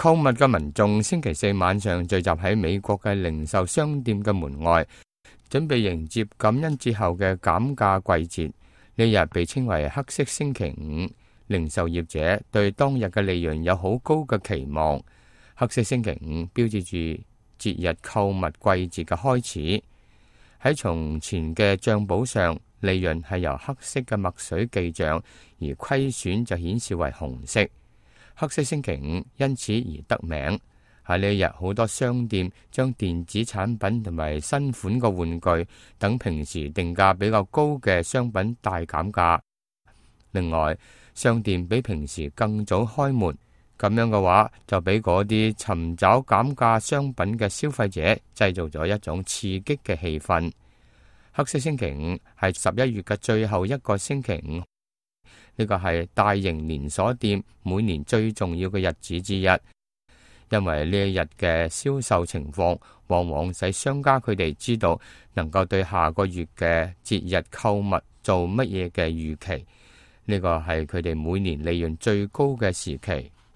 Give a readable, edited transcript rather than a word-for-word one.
購物嘅民眾星期四晚上聚集喺美國嘅零售商店嘅門外，準備迎接感恩節後嘅減價季節。呢日被稱為黑色星期五，零售業者對當日嘅利潤有好高嘅期望。黑色星期五標誌住節日購物季節嘅開始。喺從前嘅賬簿上，利潤係由黑色嘅墨水記賬，而虧損就顯示為紅色。黑色星期五因此而得名。喺呢一日，好多商店將電子產品同埋新款嘅玩具等平時定價比較高嘅商品大減價。另外，商店比平時更早開門，咁樣嘅話就俾嗰啲尋找減價商品嘅消費者製造咗一種刺激嘅氣氛。黑色星期五係11月嘅最後一個星期五，呢個係大型連鎖店每年最重要嘅日子之一。因為呢一日嘅銷售情況，往往使商家佢哋知道能夠對下個月嘅節日購物做乜嘢嘅預期。呢個係佢哋每年利潤最高嘅時期。